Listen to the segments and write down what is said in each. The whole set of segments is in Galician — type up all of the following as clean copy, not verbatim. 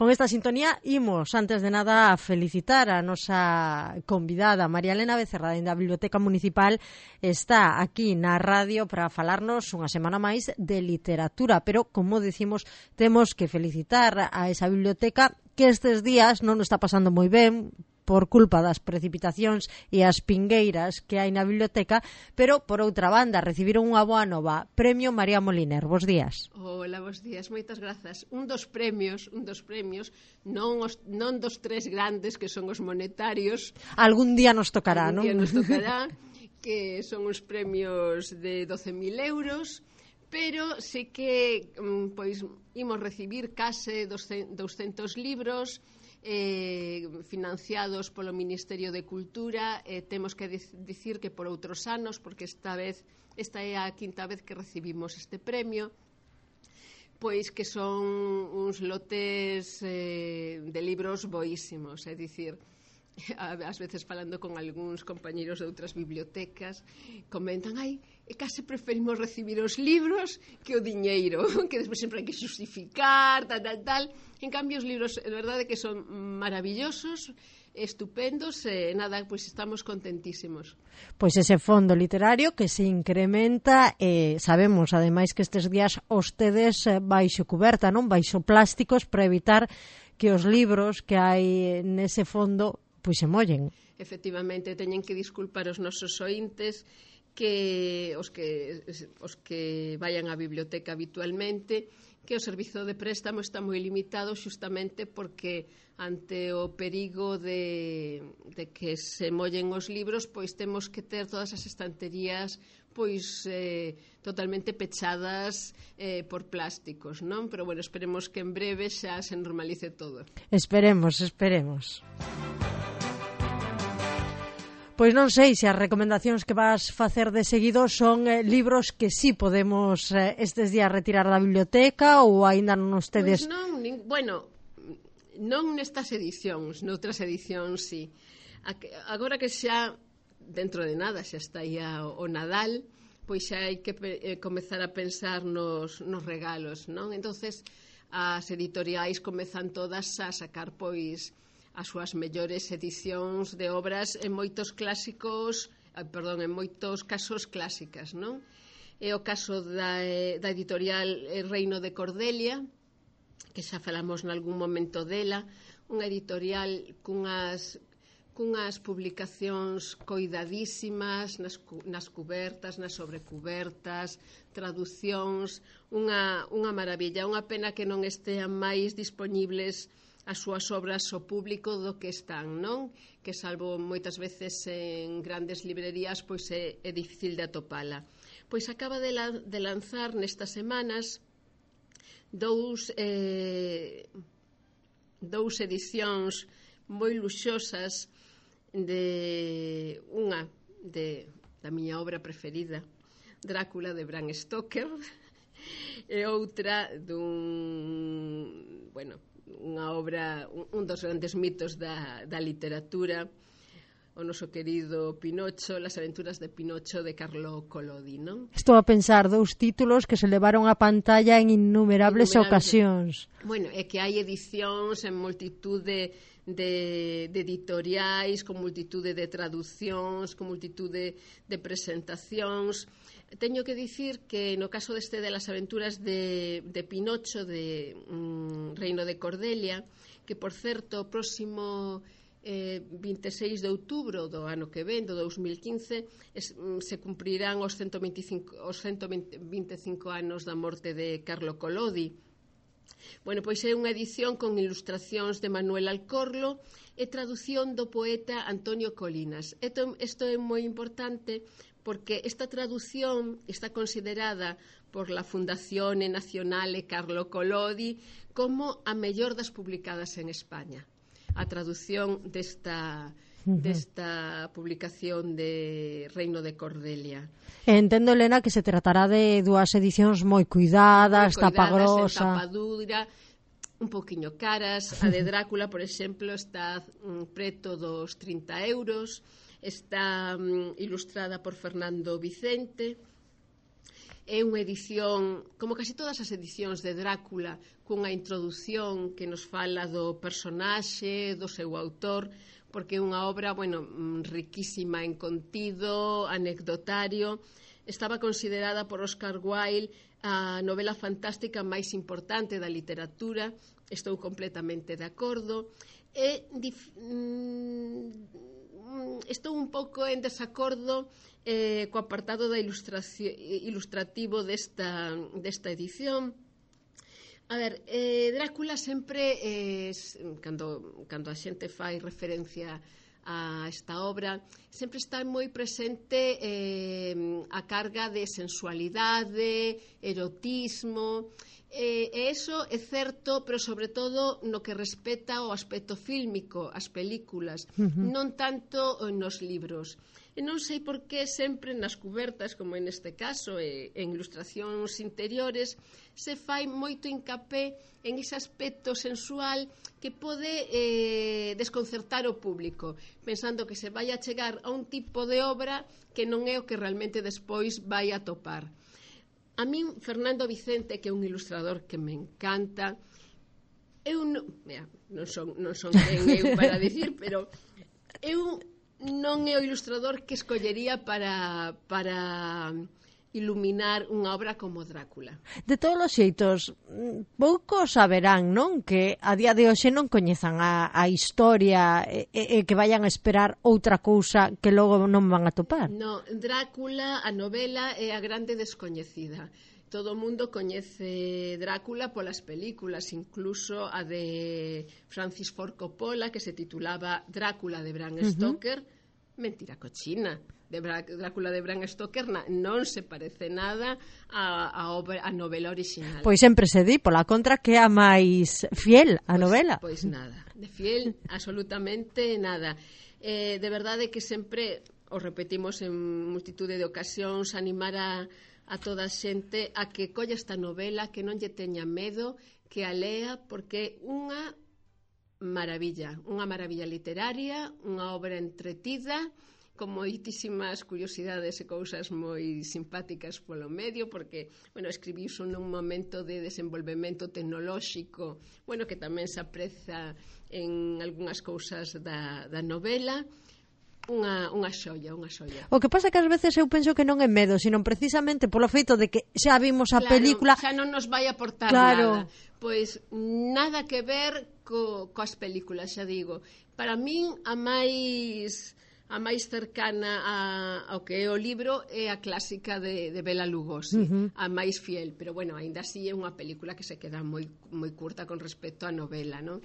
Con esta sintonía imos, antes de nada, a felicitar a nosa convidada, María Elena Becerra, da Biblioteca Municipal. Está aquí na radio para falarnos unha semana máis de literatura, pero, como decimos, temos que felicitar a esa biblioteca que estes días non está pasando moi ben por culpa das precipitacións e as pingueiras que hai na biblioteca, pero, por outra banda, recibiron unha boa nova, Premio María Moliner. Bos días. Hola, bos días, moitas grazas. Un dos premios, non dos tres grandes que son os monetarios. Algún día nos tocará, non? Algún día nos tocará, que son uns premios de 12.000 euros, pero sí que pois imos recibir case 200 libros financiados polo Ministerio de Cultura. Temos que dicir que por outros anos, porque esta é a quinta vez que recibimos este premio, pois que son uns lotes de libros boísimos, é dicir, ás veces falando con algúns compañeros de outras bibliotecas, comentan, case preferimos recibir os libros que o diñeiro, que despois sempre hai que xustificar, tal. En cambio, os libros, é verdade que son maravillosos, estupendos, nada, pois estamos contentísimos. Pois ese fondo literario que se incrementa, sabemos, ademais, que estes días os tedes baixo cuberta, non? Baixo plásticos, para evitar que os libros que hai nese fondo pois se mollen. Efectivamente, teñen que disculpar os nosos ointes que os que vayan á biblioteca habitualmente, que o servizo de préstamo está moi limitado xustamente porque ante o perigo de que se mollen os libros, pois temos que ter todas as estanterías pois totalmente pechadas por plásticos, non? Pero bueno, esperemos que en breve xa se normalice todo. Esperemos. Pois non sei se as recomendacións que vas facer de seguido son libros que sí podemos estes días retirar da biblioteca ou aínda non os tedes... Pois non nestas edicións, noutras edicións sí. Agora que xa, dentro de nada, xa está aí o Nadal, pois xa hai que comezar a pensar nos regalos, non? Entonces as editoriais comezan todas a sacar pois as súas mellores edicións de obras en moitos casos clásicas, non? É o caso da editorial Reino de Cordelia, que xa falamos nalgún momento dela, unha editorial cunhas publicacións coidadísimas nas cubertas, nas sobrecubertas, traducións, unha maravilla, unha pena que non estean máis dispoñibles as súas obras ao público do que están, non? Que salvo moitas veces en grandes librerías, pois é difícil de atopala. Pois acaba de lanzar nestas semanas dous edicións moi luxosas da miña obra preferida, Drácula, de Bram Stoker, e outra unha obra, un dos grandes mitos da literatura, o noso querido Pinocho, Las aventuras de Pinocho, de Carlo Collodi, non? Estou a pensar dous títulos que se levaron a pantalla en innumerables ocasións. Bueno, é que hai edicións en multitude de editoriais, con multitude de traducións, con multitude de presentacións. Teño que dicir que no caso deste de Las aventuras de Pinocho, de Reino de Cordelia, que por certo o próximo 26 de outubro do ano que ven, do 2015, se cumprirán os 125 anos da morte de Carlo Collodi. Bueno, pois é unha edición con ilustracións de Manuel Alcorlo e traducción do poeta Antonio Colinas. Isto é moi importante porque esta traducción está considerada por la Fundazione Nazionale Carlo Collodi como a mellor das publicadas en España. A traducción desta publicación de Reino de Cordelia. Entendo, Elena, que se tratará de dúas edicións moi cuidadas, tapagrosa, tapa dura, un poquinho caras. A de Drácula, por exemplo, está preto dos 30 euros, está ilustrada por Fernando Vicente, É unha edición, como casi todas as edicións de Drácula, cunha introdución que nos fala do personaxe, do seu autor, porque é unha obra, bueno, riquísima en contido, anecdotario. Estaba considerada por Oscar Wilde a novela fantástica máis importante da literatura. Estou completamente de acordo. Estou un pouco en desacordo co apartado da ilustrativo desta edición. A ver, Drácula sempre, cando a xente fai referencia a esta obra, sempre está moi presente a carga de sensualidade, erotismo, e iso é certo, pero sobre todo no que respeta o aspecto fílmico, as películas, non tanto nos libros. E non sei por que sempre nas cubertas, como en este caso, en ilustracións interiores, se fai moito hincapé en ese aspecto sensual que pode desconcertar o público, pensando que se vai a chegar a un tipo de obra que non é o que realmente despois vai a topar. A min, Fernando Vicente, que é un ilustrador que me encanta, eu non son quen eu para dicir, pero eu non é o ilustrador que escollería para iluminar unha obra como Drácula. De todos os xeitos, poucos saberán, non? Que a día de hoxe non coñezan a historia e que vayan a esperar outra cousa que logo non van a topar. No, Drácula, a novela, é a grande descoñecida. Todo o mundo coñece Drácula polas películas, incluso a de Francis Ford Coppola, que se titulaba Drácula de Bram Stoker. Mentira cochina. Drácula de Bram Stoker non se parece nada a novela original. Pois sempre se di, pola contra, que é a máis fiel a novela. Pois nada, de fiel absolutamente nada. De verdade que sempre, o repetimos en multitude de ocasións, animar a toda a xente a que colla esta novela, que non lle teña medo, que a lea, porque unha maravilla literaria, unha obra entretida, con moitísimas curiosidades e cousas moi simpáticas polo medio, porque, bueno, escribiuse nun momento de desenvolvemento tecnolóxico, bueno, que tamén se apreza en algunhas cousas da novela. Unha xoia. O que pasa é que ás veces eu penso que non é medo, sino precisamente polo feito de que xa vimos a película. Xa non nos vai aportar nada. Pois nada que ver coas películas, xa digo. Para min a máis cercana ao que é o libro é a clásica de Bela Lugosi, a máis fiel, pero bueno, aínda así é unha película que se queda moi curta con respecto á novela, non?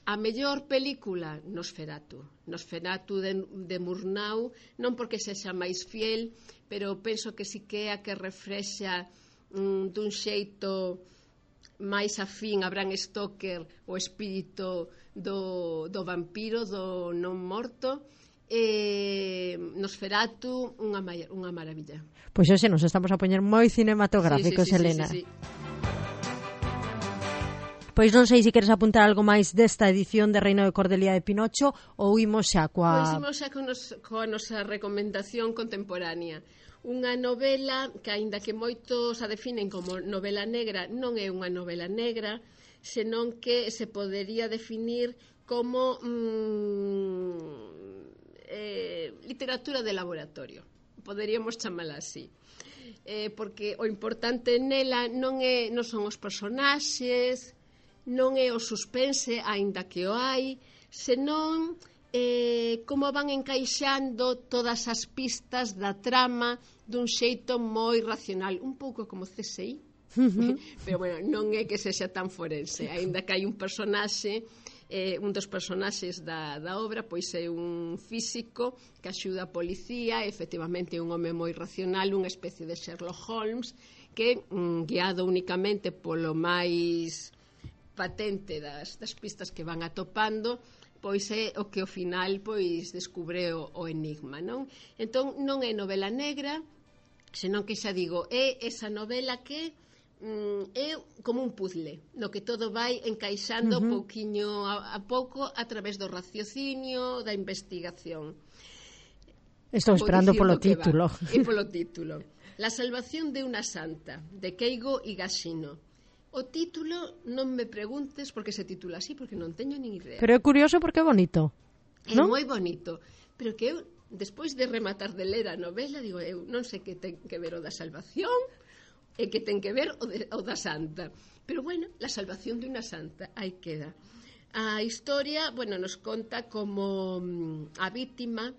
A mellor película, Nosferatu de Murnau, non porque sexa máis fiel, pero penso que si que é a que reflexa dun xeito máis afín a Bram Stoker o espírito do vampiro, do non morto. Nosferatu, unha maravilla. Pois hoxe nos estamos a poñer moi cinematográficos, Helena. Sí. Pois non sei se queres apuntar algo máis desta edición de Reino de Cordelia de Pinocho ou imos xa coa... Pois imos xa coa nosa recomendación contemporánea. Unha novela que, aínda que moitos a definen como novela negra, non é unha novela negra, senón que se podería definir como literatura de laboratorio. Poderíamos chamala así. Porque o importante nela non son os personaxes, non é o suspense, aínda que o hai, senón como van encaixando todas as pistas da trama dun xeito moi racional, un pouco como CSI, pero bueno, non é que sexa tan forense, aínda que hai un personaxe, un dos personaxes da obra, pois é un físico que axuda a policía, efectivamente un home moi racional, unha especie de Sherlock Holmes, que guiado únicamente polo máis patente das pistas que van atopando, pois é o que ao final pois descubre o enigma, non? Entón non é novela negra, senón que xa digo, é esa novela que é como un puzzle, no que todo vai encaixando pouquiño a pouco a través do raciocinio, da investigación. Estou esperando polo título. E polo título. La salvación de una santa, de Keigo Higashino. O título non me preguntes por que se titula así, porque non teño nin idea. Pero é curioso porque é bonito. É non? moi bonito, pero que eu, despois de rematar de ler a novela, digo, eu non sei que ten que ver o da salvación e que ten que ver o da santa. Pero bueno, la salvación de una santa, aí queda. A historia, bueno, nos conta como a vítima,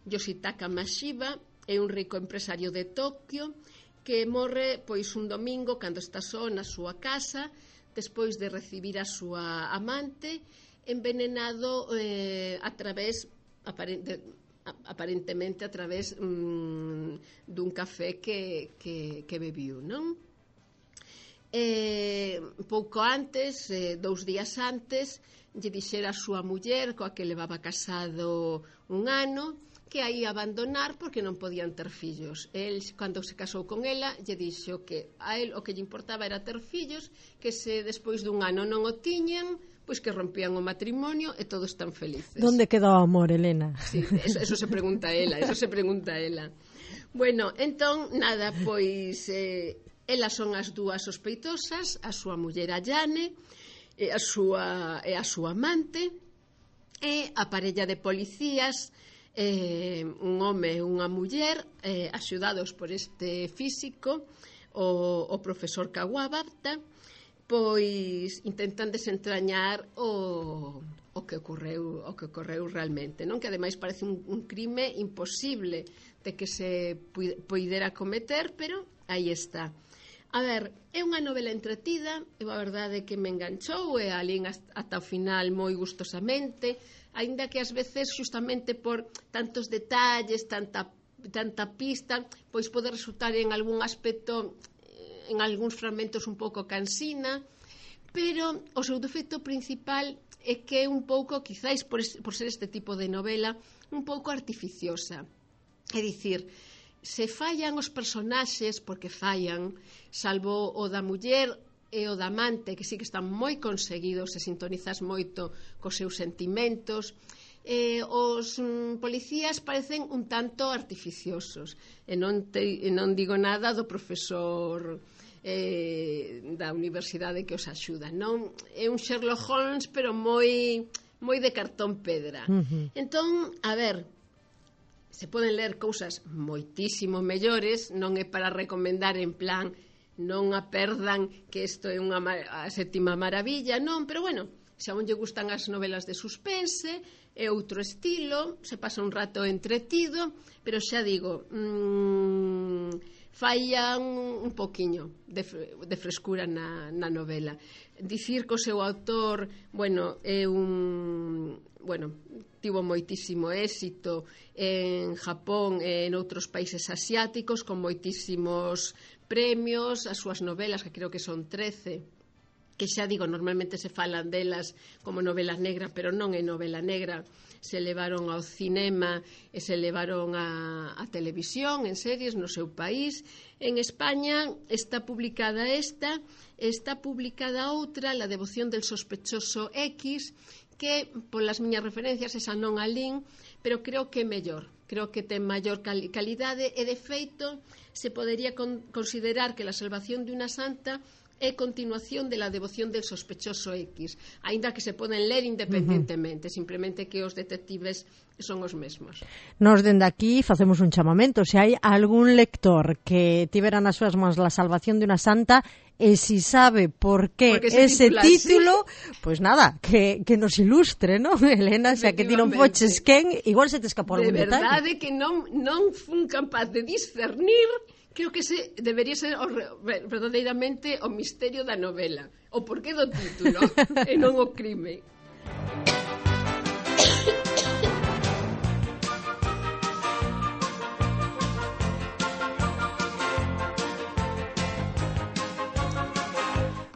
Yoshitaka Mashiba, é un rico empresario de Tokio que morre pois un domingo cando está só na súa casa despois de recibir a súa amante envenenado a través aparentemente a través dun café que bebiu, non? Pouco antes, 2 días antes, lle dixera a súa muller coa que levaba casado un ano que a ia abandonar porque non podían ter fillos. El, cando se casou con ela, lle dixo que a el o que lle importaba era ter fillos, que se despois dun ano non o tiñan, pois que rompían o matrimonio e todos están felices. Donde queda o amor, Elena? Sí, eso se pregunta ela, Bueno, entón, nada, pois elas son as dúas sospeitosas, a súa muller Ayane e a súa amante, e a parella de policías, un home e unha muller, axudados por este físico, o profesor Kawabata, pois intentan desentrañar o que ocorreu realmente, non? Que ademais parece un crime imposible de que se poidera cometer, pero aí está. A ver, é unha novela entretida, e a verdade que me enganchou e alín ata o final moi gustosamente, aínda que ás veces xustamente por tantos detalles, tanta pista, pois pode resultar en algún aspecto, en algúns fragmentos un pouco cansina, pero o seu defecto principal é que é un pouco, quizáis por ser este tipo de novela, un pouco artificiosa. É dicir, se fallan os personaxes, porque fallan, salvo o da muller e o da amante, que sí que están moi conseguidos, se sintonizas moito cos seus sentimentos, os policías parecen un tanto artificiosos, e non digo nada do profesor da universidade que os axuda, non? É un Sherlock Holmes, pero moi de cartón pedra. Entón, a ver, se poden ler cousas moitísimo mellores, non é para recomendar en plan non a perdan que isto é a sétima maravilla, non, pero bueno, se a un lle gustan as novelas de suspense, é outro estilo, se pasa un rato entretido, pero xa digo, fallan un poquiño de frescura na novela. Dicir que o seu autor, bueno, é tivo moitísimo éxito en Japón e en outros países asiáticos, con moitísimos premios, as súas novelas, que creo que son 13, que xa digo, normalmente se falan delas como novela negra, pero non é novela negra, se levaron ao cinema e se levaron a televisión, en series no seu país. En España está publicada está publicada outra, La devoción del sospechoso X, que polas miñas referencias esa non a lin, pero creo que é mellor, creo que ten maior calidade, e de feito se podería considerar que La salvación de una santa é continuación de La devoción del sospechoso X, aínda que se poden ler independentemente, simplemente que os detectives son os mesmos. Nos dende aquí facemos un chamamento, se hai algún lector que tivera nas súas mans La salvación de una santa e si sabe por qué ese título, pois nada, que nos ilustre, non? Elena, xa que ti non foches quen, igual se te escapou algún detalle. De verdade que non fun capaz de discernir. Creo que ese debería ser verdadeiramente o misterio da novela, o porqué do título e non o crime.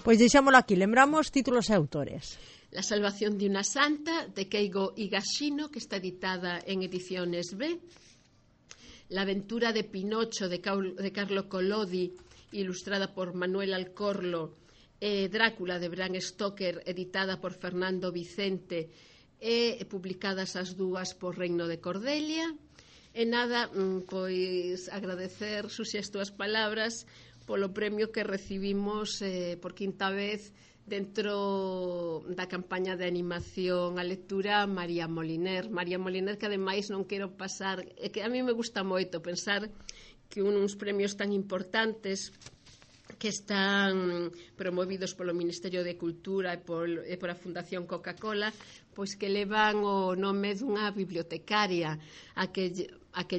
Pois deixámolo aquí, lembramos títulos e autores. La salvación de una santa, de Keigo Higashino, que está editada en Ediciones B. La aventura de Pinocho, de Carlo Collodi, ilustrada por Manuel Alcorlo. Drácula, de Bram Stoker, editada por Fernando Vicente, e publicadas as dúas por Reino de Cordelia. E nada, pois agradecer, Susi, as túas palabras polo premio que recibimos por quinta vez dentro da campaña de animación a lectura María Moliner, que ademais non quero pasar, é que a mí me gusta moito pensar que uns premios tan importantes que están promovidos polo Ministerio de Cultura e por a Fundación Coca-Cola, pois que levan o nome dunha bibliotecaria a que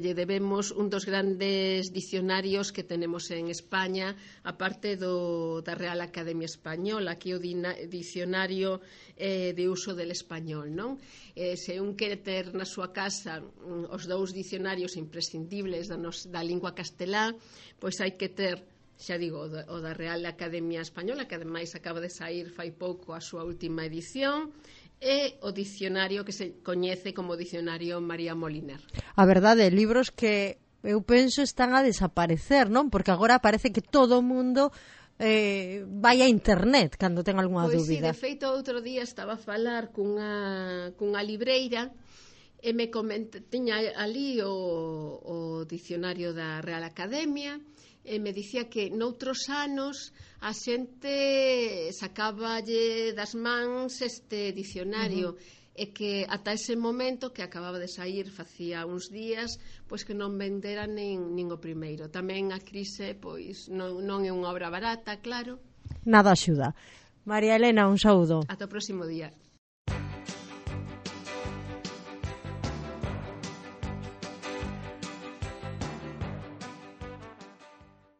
lle debemos un dos grandes dicionarios que tenemos en España, aparte da Real Academia Española, que é o dicionario de uso del español, non? Se un quere ter na súa casa os dous dicionarios imprescindibles da lingua castelá, pois hai que ter, xa digo, o da Real Academia Española, que ademais acaba de sair fai pouco a súa última edición, e o dicionario que se coñece como Dicionario María Moliner. A verdade, libros que eu penso están a desaparecer, non? Porque agora parece que todo o mundo vai a internet cando ten algunha dúbida. Pois sí, de feito, outro día estaba a falar cunha libreira e me tiña ali o dicionario da Real Academia, e me dicía que noutros anos a xente sacaballe das mans este dicionario, e que ata ese momento, que acababa de sair facía uns días, pois que non vendera nin o primeiro. Tamén a crise pois non é unha obra barata, claro. Nada axuda. María Elena, un saúdo. Ata o próximo día.